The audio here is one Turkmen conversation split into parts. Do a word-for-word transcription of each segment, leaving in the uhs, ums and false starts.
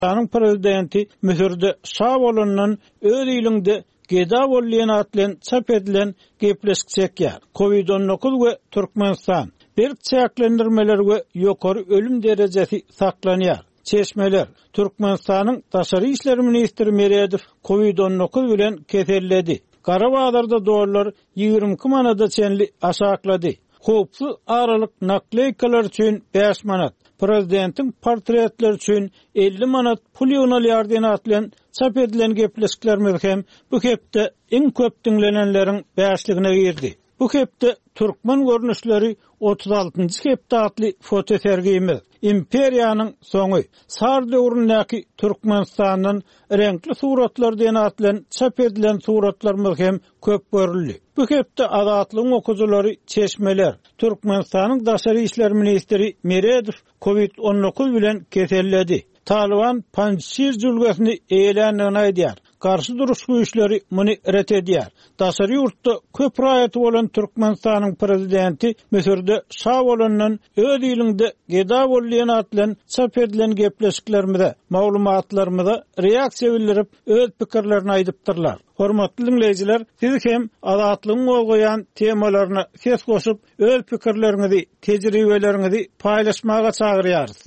Türkmenistanyň prezidenti Müsürde şa bolandan öz iliňde geda bol diýen at bilen çap edilen gepleşik çekýär. Covid on dokuz we Türkmenistan berk çäklendirmeler we ýokary ölüm derejesi saklanýar. Çeşmeler Türkmenistanyň Daşary işler ministri Meredow Covid on dokuz bilen keselledi. Gara bazarda dollar ýigrimi iki manada çenli aşaklady. Howpsuz aralyk nakleykalar üçin bäş manat, prezidentiň portretleri üçin elli manat pul ýygnalýar diýen at bilen çap edilen gepleşiklerimiz hem bu hepde iň köp diňlenenleriň bäşligine girdi. Bu hepde türkmen görnüşleri otuz altynjy hepde atly fotosergimiz Imperiýanyň soňy Sar döwründäki Türkmenistandan reňkli suratlar diýen at bilen çap edilen suratlarymyz hem köp görüldi. Bu hepde Azatlygyň okujylary çeşmeler Türkmenistanyň Daşary işler ministri Meredow Covid on dokuz bilen keselledi. Taliban Panjşir jülgesini eýeländigini aýdýar. Garşy duruş güýçleri muny ret edýär. Daşary ýurtda köp raýaty bolan Türkmenistanyň prezidenti Müsürde şa bolandan öz iliňde geda bol diýen at bilen çap edilen gepleşiklerimize, maglumatlarymyza reaksiýa bildirip öz pikirlerini aýdypdyrlar. Hormatly dinleýjiler, siz hem Azatlygyň gozgaýan temalaryna ses goşup öz pikirleriňizi, tejribeleriňizi paýlaşmaga çagyrýarys.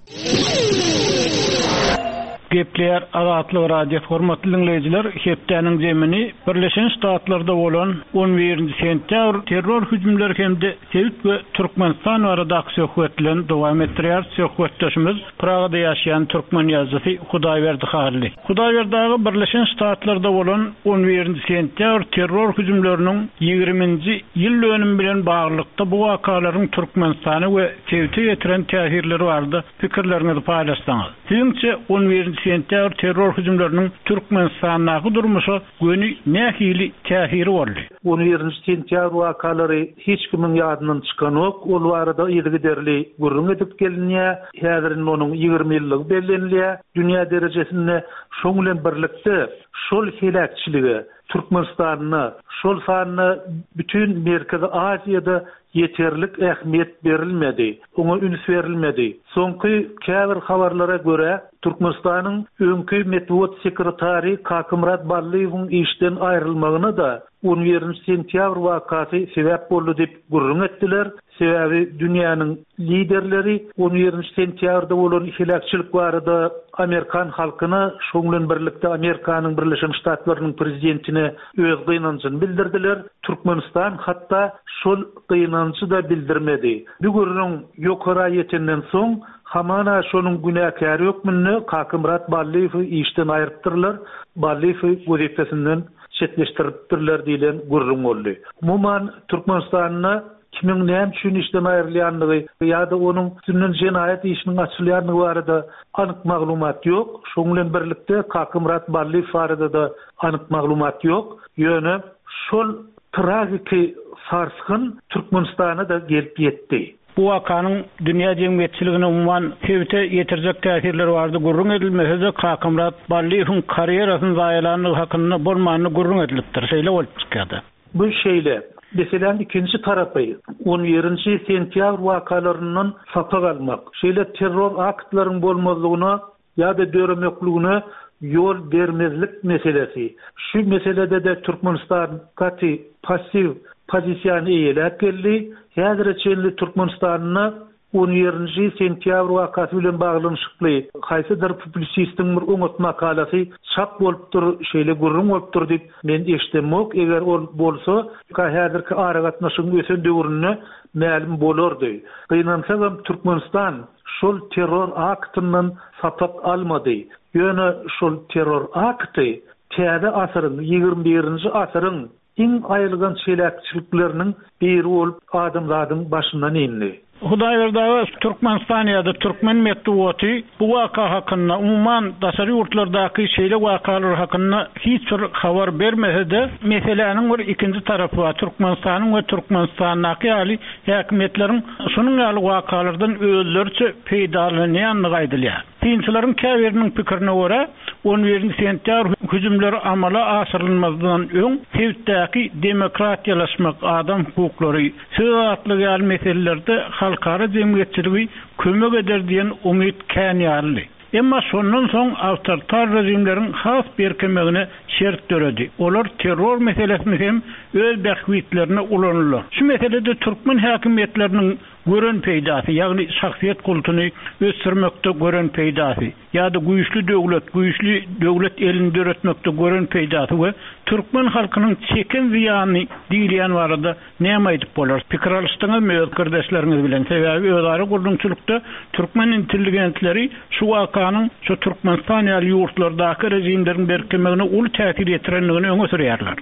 Gepleýär Azatlyk Radiosy. Hormatly dinleýjiler, hepdäniň zemini Birleşen Ştatlarda bolan on birinji sentýabr terror hüjümleri hem-de sebit we Türkmenistan baradaky söhbet bilen dowam etdirýär. Söhbetdeşimiz Pragada ýaşaýan türkmen ýazyjysy Hudaýberdi Hally. Hudaýberdi aga, Birleşen Ştatlarda bolan on birinji sentýabr terror hüjümleriniň ýigriminji ýyl dönümi bilen baglylykda bu wakalaryň Türkmenistana we sebite getiren täsirleri barada pikirleriňizi paýlaşsaňyz. Siziňçe on birinji sentýabr terror hüjümleriniň Türkmenistandaky durmuşa göni nähili täsiri boldy? On birinji sentýabr wakalary hiç kimiň ýadyndan çykanok. Ol barada yzygiderli gürrüň edip gelinýär. Häzir indi onuň ýigrimi ýyllygy bellenilýär. Dünýä derejesinde şoň bilen birlikde şol heläkçilige Türkmenistanda, şol sanda bütün Merkezi Aziýada ýeterlik ähmiýet berilmedi. Oňa üns berilmedi. Soňky käbir habarlara görä Türkmenistanyň öňki metbugat sekretary Kakymyrat Ballyýewiň işden aýrylmagyna da on birinji sentýabr wakasy sebäp boldy diýip gürrüň etdiler. Sebäbi dünýäniň liderleri on birinji sentýabrda bolan heläkçilik barada Amerikan halkyna, şoň bilen birlikde Amerikanyň Birleşen Ştatlarynyň prezidentine öz gynanjyny bildirdiler. Türkmenistan hatda şol gynanjy da bildirmedi. Bu gürrüň ýokara ýetenden soň hamana şonuň günäkäri hökmünde Kakymyrat Ballyýewi işden aýrypdyrlar. Ballyýewi wezipesinden çetleşdiripdirler diýlen gürrüň boldy. Umuman Türkmenistanda kimiň näme üçin işden aýrylýandygy ýa-da onuň üstünden jenaýat işiniň açylýandygy barada anyk maglumat ýok. Şoň bilen birlikde Kakymyrat Ballyýew barada da anyk maglumat ýok. Ýöne şol tragiki sarsgyn Türkmenistana da gelip ýetdi. Bu wakanyň dünýä jemgyýetçiligine umuman sebite ýetirjek täsirleri bardy gürrüň edilmese-de Kakymyrat Ballyýewiň karýerasyny zaýalandygy hakynda bolmany gürrüň edilipdir. Şeýle bolup çykýardy. Bu şeýle. Meselem ikinji tarapy on birinji sentýabr wakalaryndan sapak almak. Şeýle terror aktlaryň bolmazlygyna ýa-da döremekligine ýol bermezlik meselesi. Şu meselede de Türkmenistan gaty passiw pozisiýany eýeläp geldi. Häzire çenli Türkmenistanda on birinji sentýabr wakasy bilen baglanyşykly haýsydyr publisistiň bir oňat makalasy çap bolupdyr, şeýle gürrüň bolupdyr diýip men eşdemok. Eger ol bolsa, häzirki aragatnaşygyň ösen döwründe mälim bolardy. Gynansagam Türkmenistan şol terror aktyndan sapak almady. Ýöne şol terror akty täze asyryň, ýigrimi birinji asyryň iň aýylgan çelekçilikleriniň biri bolup adamzadyň başyndan indi. Hudaýberdi aga, Türkmenistan ýa-da türkmen metbugaty bu waka hakynda, umuman daşary ýurtlardaky şeýle wakalar hakynda hiç bir habar bermese-de, meseläniň bir ikinji tarapy bar. Türkmenistanyň we Türkmenistandaky ýaly häkimiýetleriň şunuň ýaly wakalardan özleriçe peýdalanýandygy aýdylýar. Synçylaryň käbiriniň pikirine görä, on birinji sentýabr hüjümleri amala aşyrylmazdan öň sebitdäki demokratiýalaşmak, adam hukuklary, söz azatlygy ýaly meselelerde halkara jemgyýetçiligi kömek eder diýen umyt kän ýalydy. Emma şondan soň awtoritar rejimleriň has berkemegine şert döredi. Olar terror meselesini hem öz bähbitlerine ulandylar. Şu meselede türkmen häkimiýetleriniň gören peýdasy, ýagny şahsyýet kultuny ösdürmekde gören peýdasy ýa-da güýçli döwlet, güýçli döwlet elini döretmekde gören peýdasy we türkmen halkynyň çeken zyýany diýilýän barada näme aýdyp bolar? Pikir alyşdyňyzmy öz kardeşleriňiz bilen? Sebäbi özara gurluşçylykda türkmen intelligentleri şu wakanyň şu Türkmenistan ýaly ýurtlardaky rejimleriň berkemegine uly täsir ýetirendigini öňe sürýärler.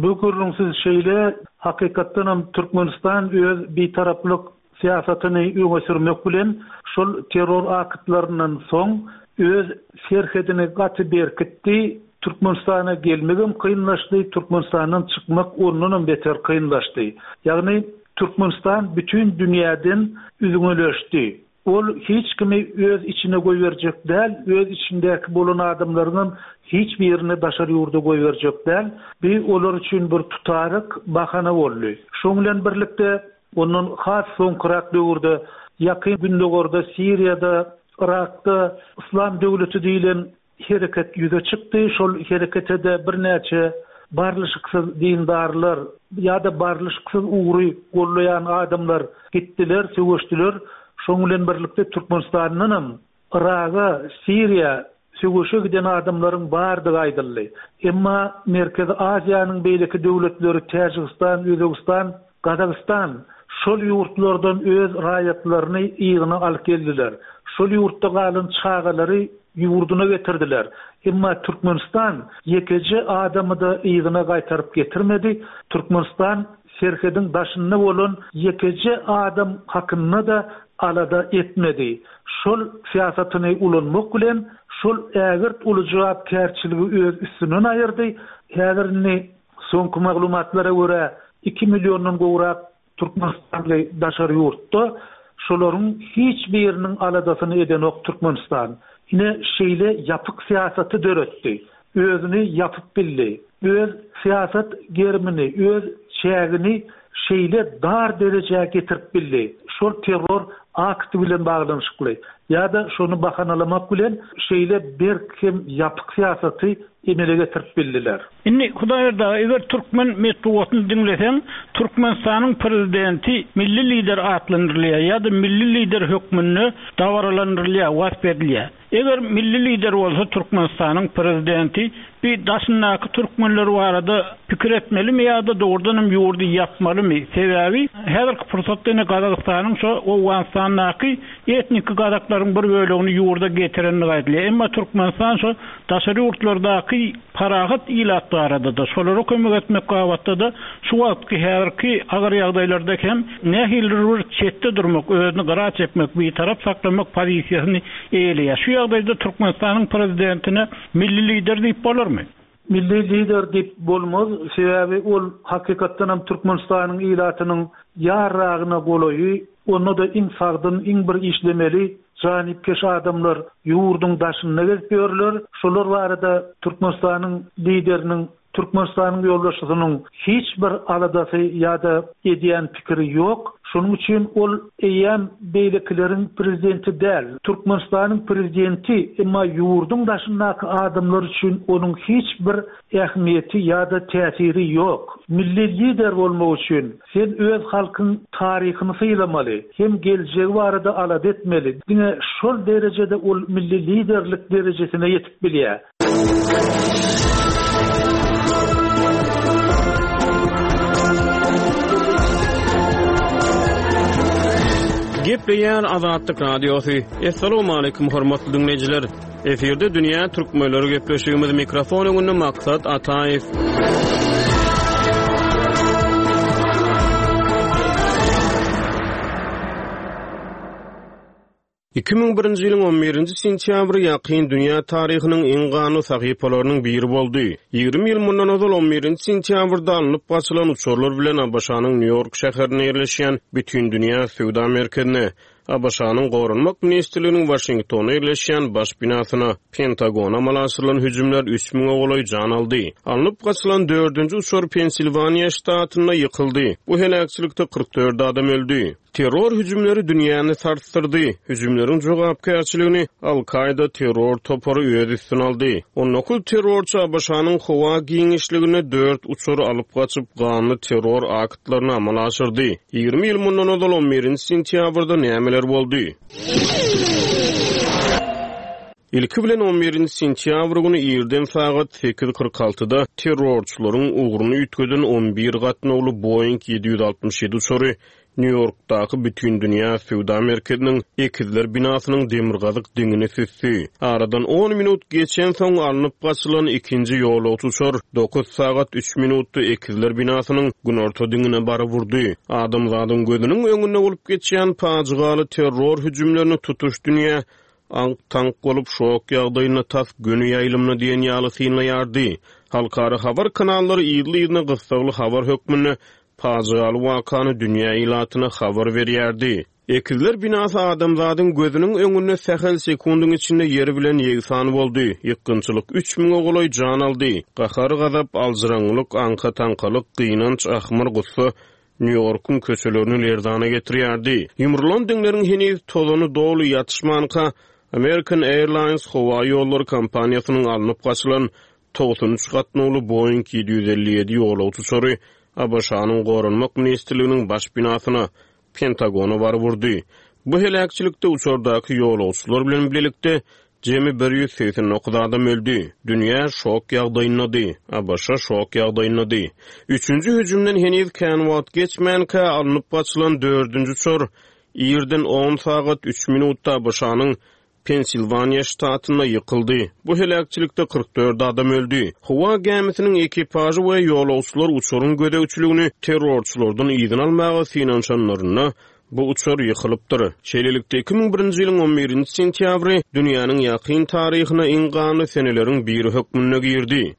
Bu gürrüňsiz şeýle, hakykatdan hem Türkmenistan öz bitaraplyk syýasatyny öňe sürmek bilen şol terror aktlaryndan soň öz serhedini gaty berkitdi. Türkmenistana gelmegem kynlaşdy, Türkmenistandan çykmak ondan hem beter kynlaşdy. Ýagny Türkmenistan bütün dünýäden üzňeleşdi. Ol hiç kimi öz içine goýberjek däl, öz içindäki bolan adamlaryň hiç birini daşary ýurda goýberjek däl. Bir olar üçin bir tutaryk bahana boldy. Şoň bilen birlikde ondan has soňkurak döwürde ýakyn Gündogarda, Siriýada, Irakda Islam döwleti diýilen hereket ýüze çykdy. Şol herekete de birnäçe barlyşyksyz dindarlar ýa-da barlyşyksyz ugry gollaýan adamlar gitdiler, söweşdiler. Şoň bilen birlikde Türkmenistandan hem Iraga, Siriýa söweşe giden adamlaryň bardygy aýdyldy. Emma Merkezi Aziýanyň beýleki döwletleri Täjigistan, Özbegistan, Gazagystan şol ýurtlardan öz raýatlaryny ýygyna alyp geldiler. Şol ýurtda galan çagalary ýurduna getirdiler. Emma Türkmenistan ýekeje adamy da ýygyna gaýtaryp getirmedi. Türkmenistan serhediň daşynda bolan ýekeje adam hakynda da alada etmedi. Şol syýasatyny ulanmak bilen şol ägirt uly jogapkärçiligi öz üstünden aýyrdy. Häzir indi soňky maglumatlara görä iki milliondan gowrak Türkmenistanly daşary ýurtda, şolaryň hiç biriniň aladasyny edenok Türkmenistan. Ine şeýle ýapyk syýasaty döretdi. Özüni ýapyp bildi. Öz syýasat gerimini, öz çägini şeýle dar derejä getirip bildi. Şol terror akty bilen baglanyşykly ýa-da şonu bahanalamak bilen şeýle berk hem ýapyk syýasaty emele getirip bildiler. Indi Hudaýberdi aga, eger türkmen metbugatyny diňleseň, Türkmenistanyň prezidenti milli lider atlandyrylýar ýa-da milli lider hökmünde dabaralandyrylýar, wasp edilýär. Eger milli lider bolsa Türkmenistanyň prezidenti bir daşyndaky türkmenler barada pikir etmelimi ýa-da dogrudan hem ýurdy ýapmalymy? Sebäbi häzirki pursatda ine Gazagystanyň şo Owganystandaky etnik gazaklaryň bir bölegini ýurda getirenligi aýdylýar. Emma Türkmenistan şo daşary ýurtlardaky parahat ilat barada da şolara kömek etmek gabatda da şu wagtky häzirki agyr ýagdaýlarda hem nähilidir bir çetde durmak, özüni gyra çekmek, bir tarap saklamak pozisiýasyny eýeleýär. Şu ýagdaýda Türkmenistanyň prezidentine milli lider diýip bolarmy? Milli lider diýip bolmaz, sebäbi ol hakykatdan hem Türkmenistanyň ilatynyň ýarragyna golaýy, onda da iň sagdyn, iň bir işlemeli janipkeş adamlar ýurduň daşynda gezip ýörler. Şolar barada Türkmenistanyň lideriniň, Türkmenistanyň ýolbaşçysynyň hiç bir aladasy ýa-da edýän pikiri ýok. Şonuň üçin ol eýýäm beýlekileriň prezidenti däl. Türkmenistanyň prezidenti, emma ýurduň daşyndaky adamlar üçin onuň hiç bir ähmiýeti ýa-da täsiri ýok. Milli lider bolmak üçin sen öz halkyň taryhyny sylamaly, hem geljegi barada alada etmeli. Diňe şol derejede ol milli liderlik derejesine ýetip bilýär. Gepleýär Azatlyk Radiosy. Essalamu aleýkum hormatly dinleýjiler. Efirde Dünýä Türkmenleri gepleşigimiz mikrofon öňünde Maksat Ataýew. Iki müň birinji ýylyň on birinji sentýabry ýakyn dünýä taryhynyň iň ganly sahypalarynyň biri boldy. Ýigrimi ýyl mundan ozal on birinji sentýabrda alnyp gaçylan uçarlar bilen A B Ş-nyň Nýu-Ýork şäherinde ýerleşýän Bütün Dünýä Söwda Merkezine, A B Ş-nyň Goranmak Ministrliginiň Waşingtonda ýerleşýän baş binasyna, Pentagona amala aşyrylan hüjümler üç müňe golaý jan aldy. Alnyp gaçylan dördünji uçar Pensilwaniýa ştatynda ýykyldy. Bu heläkçilikde kyrk dört adam öldi. Terror hüjümleri dünýäni sarsdyrdy. Hüjümleriň jogapkärçiligini Al-Kaýda terror topary öz üstüne aldy. On dokuz terrorçy ABŞ-nyň howa giňişliginde dört uçary alyp gaçyp, ganly terror aktlaryny amala aşyrdy. Ýigrimi ýyl mundan ozal on birinji sentýabrda nämeler boldy? Ilki bilen on birinji sentýabr güni irden sagat sekiz kyrk altyda terrorçylaryň ugruny üýtgeden on bir gatnawly Boeing ýedi ýüz altmyş ýedi uçary Nýu-Ýorkdaky Bütindünýä söwda merkeziniň Ekizler binasynyň demirgazyk diňini süsdi. Aradan on minut geçensoň alnyp gaçylan ikinji ýolagçy uçar dokuz sagat üç minutda Ekizler binasynyň günorta diňine baryp urdy. Adamzadyň gözüniň öňünde bolup geçýän pajygaly terror hüjümlerini tutuş dünýä aňk-taňk bolup şok ýagdaýynda tas göni ýaýlymda diýen ýaly synlaýardy. Halkara habar kanallary yzly-yzyna gyssagly habar hökmünde pajygaly wakany dünýä ilatyna habar berýärdi. Ekizler binasy adamzadyň gözüniň öňünde sähel sekundyň içinde ýeri bilen ýegsan boldy. Ýykgynçylyk üç müňe golaý jan aldy. Gahar-gazap, aljyraňňylyk, aňka-taňkalyk, gynanç, ahmyr, gussa Nýu-Ýorkuň köçelerini lerzana getirýärdi. Ýumrulan diňleriň heniz tozany doly ýatyşmanka American Airlines howa ýollary kompaniýasynyň alnyp gaçylan togsan üç gatnawly Boeing ýedi ýüz elli ýedi ýolagçy uçary ABŞ-nyň Goranmak ministrliginiň baş binasyna, Pentagona baryp urdy. Bu heläkçilikde uçardaky ýolagçylar bilen birlikde jemi bir ýüz segsen dokuz adam öldi. Dünýä şok ýagdaýyndady, ABŞ şok ýagdaýyndady. Üçünji hüjümden heniz kän wagt geçmänkä alnyp gaçylan dördünji uçar irden on sagat üç minutda ABŞ-nyň Pensilwaniýa ştatynda ýykyldy. Bu heläkçilikde kyrk dört adam öldi. Howa gämisiniň ekipažy we ýolagçylar uçaryň gözegçiligini terrorçylardan yzyna almaga synanyşanlarynda bu uçar ýykylypdyr. Şeýlelikde iki müň birinji ýylyň on birinji sentýabry dünýäniň ýakyn taryhyna iň ganly seneleriň biri hökmünde girdi.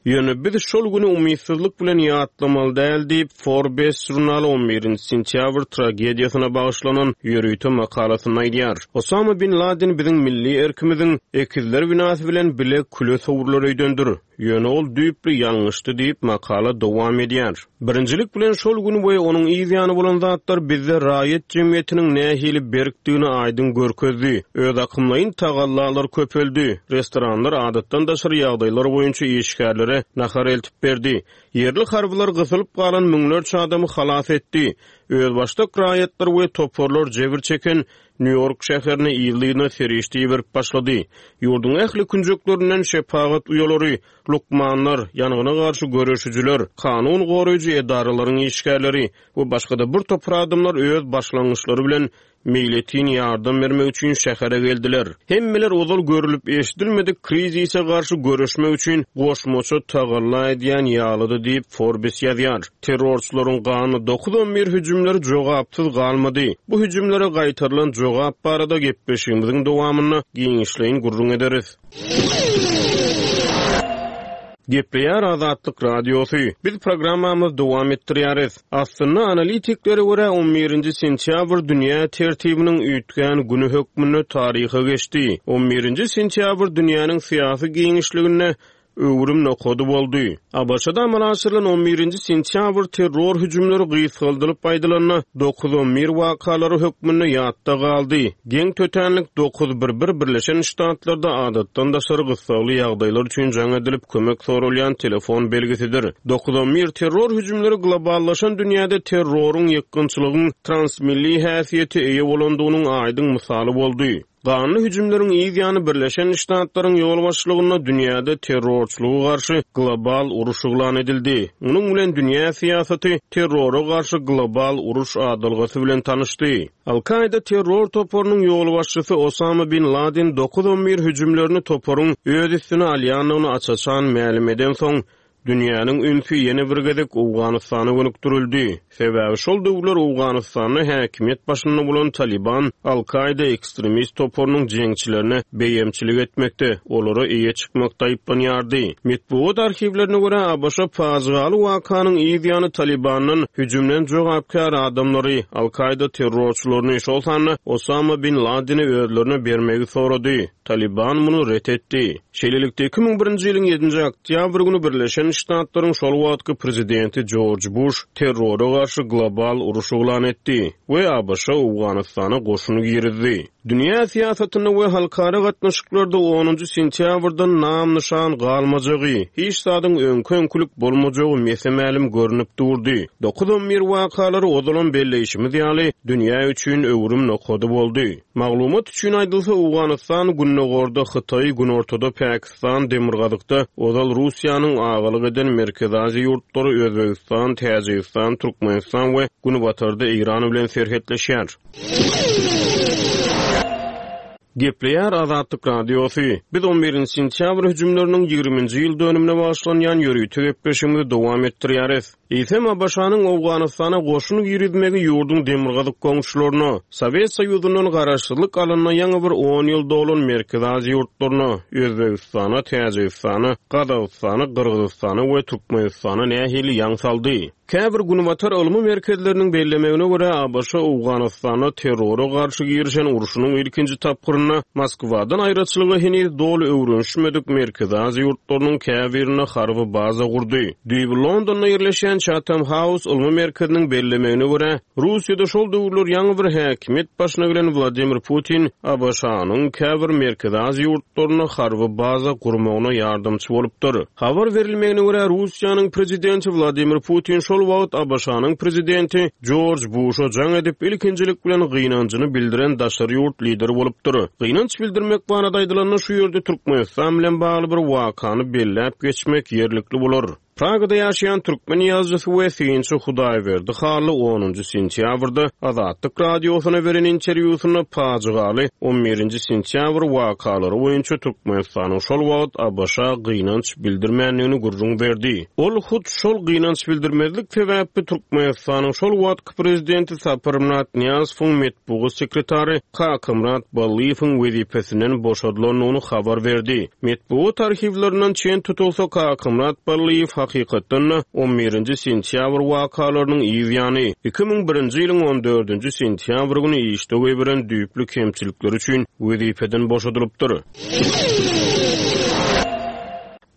Ýöne biz şol güni umytsyzlyk bilen ýatlamaly däl diýip Forbes žurnaly on birinji sentýabr tragediýasyna bagyşlanan ýörite makalasynda aýdýar. Osama bin Laden biziň milli erkimiziň Ekizler binasy bilen bile küle sowrular öýdendir. Ýöne ol düýpli ýalňyşdy diýip makala dowam edýär. Birinjilik bilen şol gün we onuň yz ýany bolan zatlar bizde raýat jemgyýetiniň nähili berkdigini aýdyň görkezdi. Öz akymlaýyn tagallalar köpeldi. Restoranlar adatdan daşary ýagdaýlar boýunça işgärlere nahar eltip berdi. Ýerli harbylar gysylyp galan müňlerçe adamy halas etdi. Özbaşdak raýatlar we toparlar jebir çeken Nýu-Ýork şäherine ýylyna serişde berip başlady. Ýurduň ähli künjeklerinden şepagat uýalary, lukmanlar, ýangyna garşy göreşijiler, kanun goraýjy edaralaryň işgärleri we başga-da bir topar adamlar öz başlangyçlary bilen meýletin ýardam bermek üçin şähere geldiler. Hemmeler ozal görülip eşidilmedik krizise garşy göreşmek üçin goşmaça tagalla edýän ýalydy diýip Forbes ýazýar. Terrorçylaryň gany dokuz on bir hüjümleri jogapsyz galmady. Bu hüjümlere gaýtarylan jogap barada gepleşigimiziň dowamynda giňişleýin gürrüň ederis. Gepleýär Azatlyk Radiosy. Biz programmamyzy dowam etdirýäris. Aslynda analitiklere görä on birinji sentýabr dünýä tertibiniň üýtgän güni hökmünde taryha geçdi. on birinji sentýabr dünýäniň syýasy giňişliginde öwrüm nokady boldy. ABŞ-da amala aşyrylan on birinji sentýabr terror hüjümleri gysgaldylyp aýdylanda dokuz on bir wakalary hökmünde ýatda galdy. Geň tötänlik dokuz bir bir Birleşen Ştatlarda adatdan daşary gyssagly ýagdaýlar üçin jaň edilip kömek sorulýan telefon belgisidir. Dokuz on bir terror hüjümleri globallaşan dünýäde terroryň ýykgynçylygyň transmilli häsiýeti eýe bolandygynyň aýdyň mysaly boldy. Ganly hüjümleriň yz ýany Birleşen Ştatlaryň ýolbaşçylygynda dünýäde terrorçylyga garşy global uruş yglan edildi. Munuň bilen dünýä syýasaty terrora garşy global uruş adalgasy bilen tanyşdy. Al-Kaýda terror toparynyň ýolbaşçysy Osama bin Laden dokuz on bir hüjümlerini toparyň öz üstüne alýandygyny aç-açan mälim eden soň dünýäniň ünsi ýene bir gezek Owganystana gönükdirildi. Sebäbi şol döwürler Owganystanda häkimiýet başynda bolan Taliban Al-Kaýda ekstremist toparynyň jeňçilerine beýemçilik etmekde, olara eýe çykmakda aýyplanýardy. Metbugat arhiwlerine görä ABŞ pajygaly wakanyň yz ýany Talibandan hüjümden jogapkär adamlary, Al-Kaýda terrorçylaryny, şol sanda Osama bin Ladeni özlerine bermegi sorady. Taliban muny ret etdi. Şeýlelikde iki müň birinji ýylyň ýedinji oktýabr güni Birleşen Birleşen Ştatlaryň şol wagtky prezidenti Jorj Buş terrora garşy global uruş yglan etdi we A B Ş Owganystana goşuny girizdi. Dünýä syýasatynda we halkara gatnaşyklarda onunjy sentýabrdan nam-nyşan galmajagy, hiç zadyň öňki-öňkülik bolmajagy mese-mälim görnüp durdy. Dokuz on bir wakalary ozalam belleýşimiz ýaly dünýä üçin öwrüm nokady boldy. Maglumat üçin aýdylsa, Owganystan gündogarda Hytaý, günortada Pakistan, demirgazykda ozal Russiýanyň agalyk eden Merkezi Aziýa ýurtlary Özbegistan, Täjigistan, Türkmenistan we günbatarda Eýran bilen serhetleşýär. Gepleýär Azatlyk Radiosy. Biz on birinji sentýabr hüjümleriniň ýigriminji ýyl dönümine bagyşlanýan ýörite gepleşigimizi dowam etdirýäris. Eýsem A B Ş-nyň Owganystana goşun girizmegi ýurduň demirgazyk goňşularyna, Sowet Soýuzyndan garaşsyzlyk alanyna ýaňy bir on ýyl dolan Merkezi Aziýa ýurtlaryna, Özbegistana, Täjigistana, Gazagystana, Gyrgyzystana we Türkmenistana nähili ýaň saldy? Käbir günbatar ylmy merkezleriniň bellemegine görä, A B Ş Owganystanda terrora garşy girişen urşunyň ilkinji tapgyrynda Moskwadan aýraçylyga heniz doly öwrenişmedik Merkezi Aziýa ýurtlarynyň käbirinde harby baza gurdy. Düýbi Londonda ýerleşen Chatham House ylmy merkeziniň bellemegine görä, Russiýada şol döwürler ýaňy bir häkimiýet başyna gelen Wladimir Putin A B Ş-nyň käbir Merkezi Aziýa ýurtlarynda harby baza gurmagyna ýardamçy bolupdyr. Habar berilmegine görä, Russiýanyň prezidenti Wladimir Putin şol wagt A B Ş-nyň prezidenti Jorj Busha jaň edip ilkinjilik bilen gynanjyny bildiren daşary ýurt lideri bolupdyr. Gynanç bildirmek barada aýdylanda, şu ýerde Türkmenistan bilen bagly bir wakany belläp geçmek ýerlikli bolar. Pragada ýaşaýan türkmen ýazyjysy we synçy Hudaýberdi Hally onunjy sentýabrda Azatlyk Radiosyna beren interwýusynda pajygaly on birinji sentýabr wakalary boýunça Türkmenistanyň şol wagt A B Ş gynanç bildirmändigini gürrüň berdi. Ol hut şol gynanç bildirmezlik sebäpli Türkmenistanyň şol wagtky prezidenti Saparmyrat Nyýazowyň metbugat sekretary Kakamyrat Ballyýewiň wezipesinden boşadylandygyny habar berdi. Metbugat arhiwlerinden çen tutulsa, Kakamyrat Ballyýew hakykatdan da on birinji sentýabr wakalarynyň yz ýany iki müň birinji ýylyň on dördünji sentýabr güni işde goýberen düýpli kemçilikleri üçin wezipeden boşadylypdyr.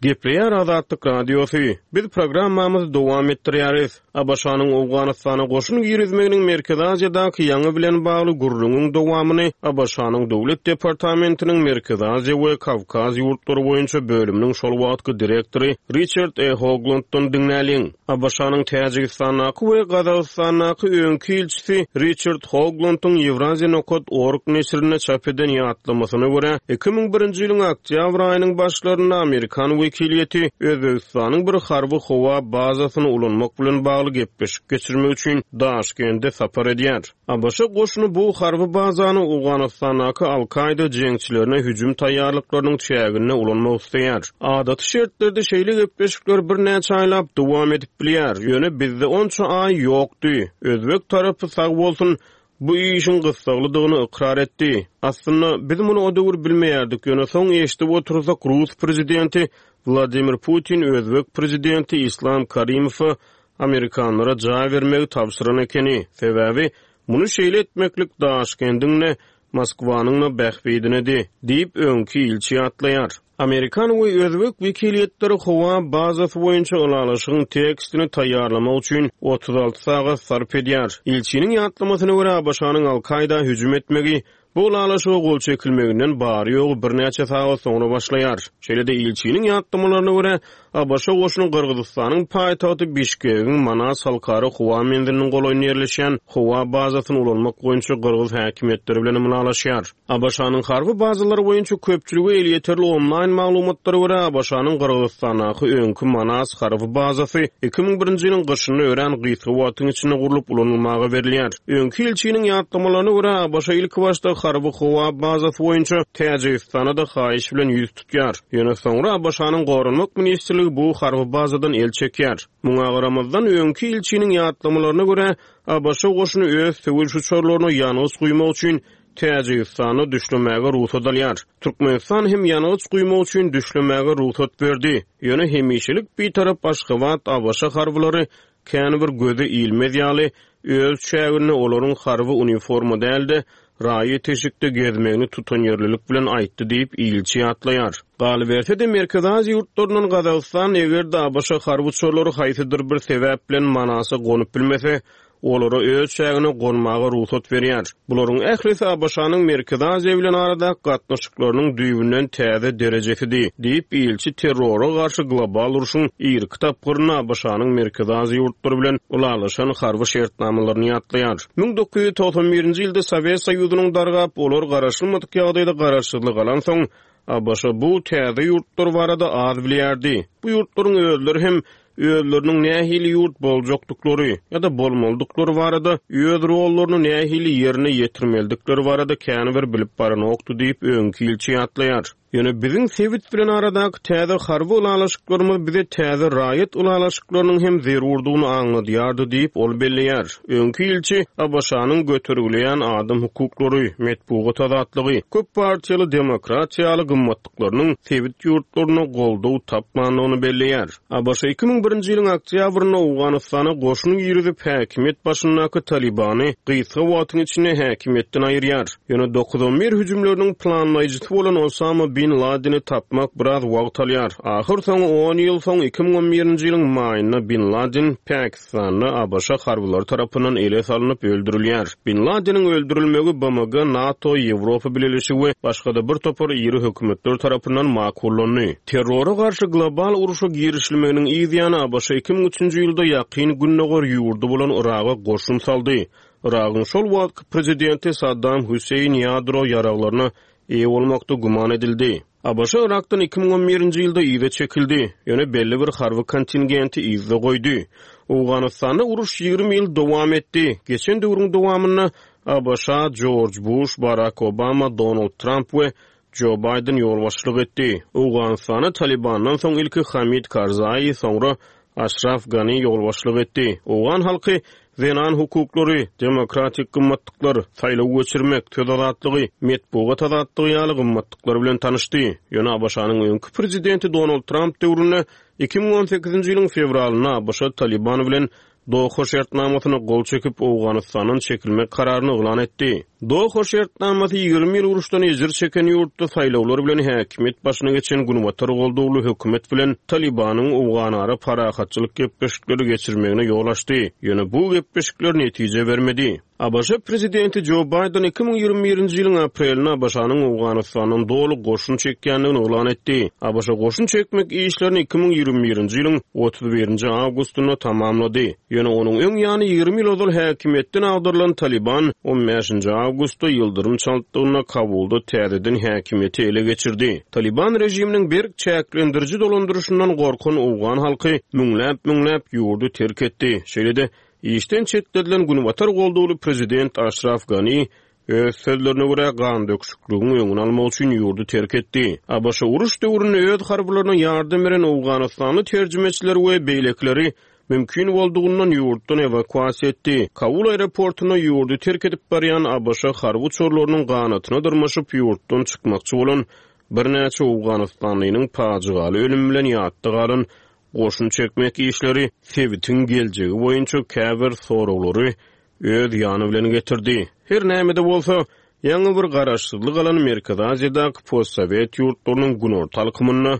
Gepleýär Azatlyk Radiosy. Biz programmamyzy dowam etdirýäris. A B Ş-nyň Owganystana goşun girizmeginiň Merkezi Aziýadaky ýaňy bilen bagly gürrüňiň dowamyny A B Ş-nyň Döwlet departamentiniň Merkezi Aziýa we Kawkaz ýurtlary boýunça bölüminiň şol wagtky direktory Richard E. Hoglanddan diňläliň. A B Ş-nyň Täjigistandaky we Gazagystandaky öňki ilçisi Richard Hoglandyň Ýewraziýa nokat org neşirinde çap eden ýatlamasyna görä, iki müň birinji ýylyň oktýabr aýynyň başlarynda Amerikan wekiliýeti Özbegistanyň bir harby howa bazasyny ulanmak bilen bagly gepleşik geçirmek üçin Daşkende sapar edýär. A B Ş goşuny bu harby bazany Owganystandaky Al-Kaida jeňçilerine hüjüm taýýarlyklarynyň çäginde ulanmak isleýär. Adaty şertlerde şeýle gepleşikler birnäçe aýlap dowam edip bilýär. Ýöne bizde onça aý ýokdy. Özbek tarapy sag bolsun, bu işiň gyssaglydygyny ykrar etdi. Aslynda biz muny o döwür bilmeýärdik. Ýöne soň eşidip otursak, Rus prezidenti Wladimir Putin Özbek prezidenti Islam Karimowa Amerikanlara jaý bermegi tabşyran ekeni. Sebäbi muny şeýle etmeklik Daşkendiň Moskwanyň da bähbidinedi diýip öňki ilçi ýatlaýar. Amerikan we Özbek wekiliýetleri howa bazasy boýunça ylalaşygyň tekstini taýýarlamak üçin otuz alty sagat sarp edýär. Ilçiniň ýatlamasyna görä, A B Ş-nyň Al-Kaida hüjüm etmegi bu ylalaşyga gol çekilmeginden bary ýogy birnäçe sagat soňra başlaýar. Şeýle-de ilçiniň ýatlamalaryna görä, A B Ş goşuny Gyrgyzystanyň paýtagty Bişkegiň Manas halkara howa menziliniň golaýynda ýerleşýän howa bazasyny ulanmak boýunça Gyrgyz häkimiýetleri bilen ylalaşýar. A B Ş-nyň harby bazalary boýunça köpçülige elýeterli onlaýn maglumatlara görä, A B Ş-nyň Gyrgyzystandaky öňki Manas harby bazasy iki müň birinji ýylyň gyşynda örän gysga wagtyň içinde gurlup ulanylmaga berilýär. Öňki ilçiniň ýatlamalaryna görä, A B Ş ilki başda harby howa bazasy boýunça Täjigistana da haýyş bilen ýüz tutýar. Ýöne soňra A B Ş-nyň Goranmak ministrligi bu harby bazadan el çekýär. Muňa garamazdan öňki ilçiniň ýatlamalaryna görä, A B Ş goşuny öz söweş uçarlaryna ýangyç guýmak üçin Täjigistana düşlemäge rugsat alýar. Türkmenistan hem ýangyç guýmak üçin düşlemäge rugsat berdi. Ýöne hemişelik bir tarap Aşgabat A B Ş harbylary kän bir göze ilmez ýaly öz çäginde olaryň harby uniforma dälde raýat eşikde gezmegini tutanýerlilik bilen aýtdy diýip ilçi ýatlaýar. Galyberse-de Merkezi Aziýa ýurtlaryndan Gazagystan eger-de ABŞ harby uçarlary haýsydyr bir sebäp bilen Manasa gonup bilmese, olara öz çägine gonmaga rugsat berýär. Bularyň ählisi ABŞ-nyň Merkezi Aziýa bilen aradaky gatnaşyklarynyň düýbünden täze derejesidi diýip ilçi terrora garşy global urşuň irki tapgyrynda ABŞ-nyň Merkezi Aziýa ýurtlary bilen ylalaşan harby şertnamalaryny ýatlaýar. müň dokuz ýüz togsan birinji ýylda Sowet Soýuzynyň dargap, olar garaşylmadyk ýagdaýda garaşsyzlyk alansoň, ABŞ bu täze ýurtlar barada az bilýärdi. Bu ýurtlaryň özleri hem özleriniň nähili ýurt boljakdyklary ýa-da bolmalydyklary barada, öz rollaryny nähili ýerine ýetirmelidikleri barada käni bir bilip baranokdy diýip öňki ilçi ýatlaýar. Ýöne biziň sebit bilen aradaky täze harby ylalaşyklarymyz bize täze raýat ylalaşyklarynyň hem zerurdygyny aňladýardy diýip ol belleýär. Öňki ilçi ABŞ-nyň götergileýän adam hukuklary, metbugat azatlygy, köp partiýaly demokratiýaly gymmatlyklarynyň sebit ýurtlaryna goldaw tapmandygyny belleýär. ABŞ iki müň birinji ýylyň oktýabrynda Owganystana goşun girizip häkimiýet başyndaky Talibany gysga wagtyň içinde häkimiýetden aýyrýar. Ýöne dokuz on bir hüjümleriniň planlaýjysy bolan Osama bin Ladeni tapmak biraz wagt alýar. Ahyr soňy on ýyl soň iki müň on birinji ýylyň maýynda Bin Laden Pakistanda ABŞ harbylary tarapyndan ele salynyp öldürilýär. Bin Ladeniň öldürilmegi B M G, NATO, Ýewropa Bileleşigi we başga-da bir topar iri hökümetler tarapyndan makullandy. Terrora garşy global urşa girişilmeginiň yz ýany ABŞ iki müň üçünji ýylda ýakyn gündogar ýurdy bolan Yraga goşun saldy. Yragyň şol wagtky prezidenti Saddam Hüseýin ýadro ýaraglaryna eýe bolmakda güman edildi. ABŞ Irakdan iki müň on birinji ýylda yza çekildi. Ýöne belli bir harby kontingenti yzda goýdy. Owganystanda uruş ýigrimi ýyl dowam etdi. Geçen döwrüň dowamynda ABŞ, George Bush, Barack Obama, Donald Trump we Joe Biden ýolbaşçylyk etdi. Owganystana Talibandan soň ilki Hamid Karzai, soňra Ashraf Gani ýolbaşçylyk etdi. Owgan halky zenan hukuklary, demokratik gymmatlyklar, saýlaw geçirmek, söz azatlygy, metbugat azatlygy ýaly gymmatlyklar bilen tanyşdy. Ýöne ABŞ-nyň öňki prezidenti Donald Trump döwründe iki müň on sekizinji ýylyň fewralynda ABŞ Taliban bilen Doha şertnamasyna gol çekip Owganystandan çekilmek kararyny yglan etdi. Doha şertnamasy ýigrimi ýyl uruşdan ejir çeken ýurtda saýlawlar bilen häkimiýet başyna geçen Günbatar goldawly hökümet bilen Talibanyň Owganara parahatçylyk gepleşikleri geçirmegine ýol açdy. Ýöne bu gepleşikler netije bermedi. ABŞ prezidenti Joe Biden iki müň ýigrimi birinji ýylyň aprelinde ABŞ-nyň Owganystandan doly goşun çekýändigini yglan etdi. ABŞ goşun çekmek işlerini iki müň ýigrimi birinji ýylyň otuz birinji awgustynda tamamlady. Ýöne onuň öň ýany ýigrimi ýyl ozal häkimiýetden agdarylan Taliban on bäşinji awgustda ýyldyrym çaltlygynda Kabulda täzeden häkimiýeti ele geçirdi. Taliban režiminiň berk çäklendiriji dolandyryşyndan gorkan Owgan halky müňläp-müňläp ýurdy terk etdi. Şeýle-de işden çetledilen Günbatar golduwly prezident Ashraf Gani öz sözlerine görä gan döküşikligiň öňüni almak üçin ýurdy terk etdi. ABŞ uruş döwründe öz harbylaryna ýardam beren Owganystanly terjimeçiler we beýlekileri mümkin boldugyndan ýurtdan ewakuasiýa etdi. Kabul aeroportuna ýurdy terk edip barýan ABŞ harby uçarlarynyň ganatyna dyrmaşyp ýurtdan çykmakçy bolan birnäçe Owganystanlynyň pajygaly ölüm bilen ýatda galan goşun çekmek işleri sebitiň geljegi boýunça käbir soraglary öz ýany bilen getirdi. Her näme-de bolsa, ýaňy bir garaşsyzlyk alan Merkezi Aziýadaky postsowet ýurtlarynyň günorta halkymynda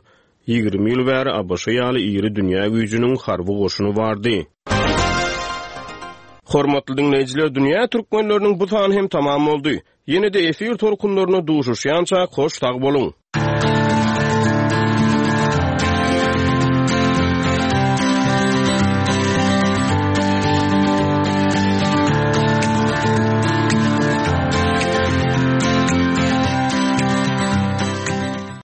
ýigrimi ýyl bäri ABŞ ýaly iri dünýä güýjüniň harby goşuny bardy. Hormatly dinleýjiler, dünýä türkmenleriniň bu sany hem tamam boldy. Ýene-de efir tolkunlaryna duşuşýança hoş sag boluň.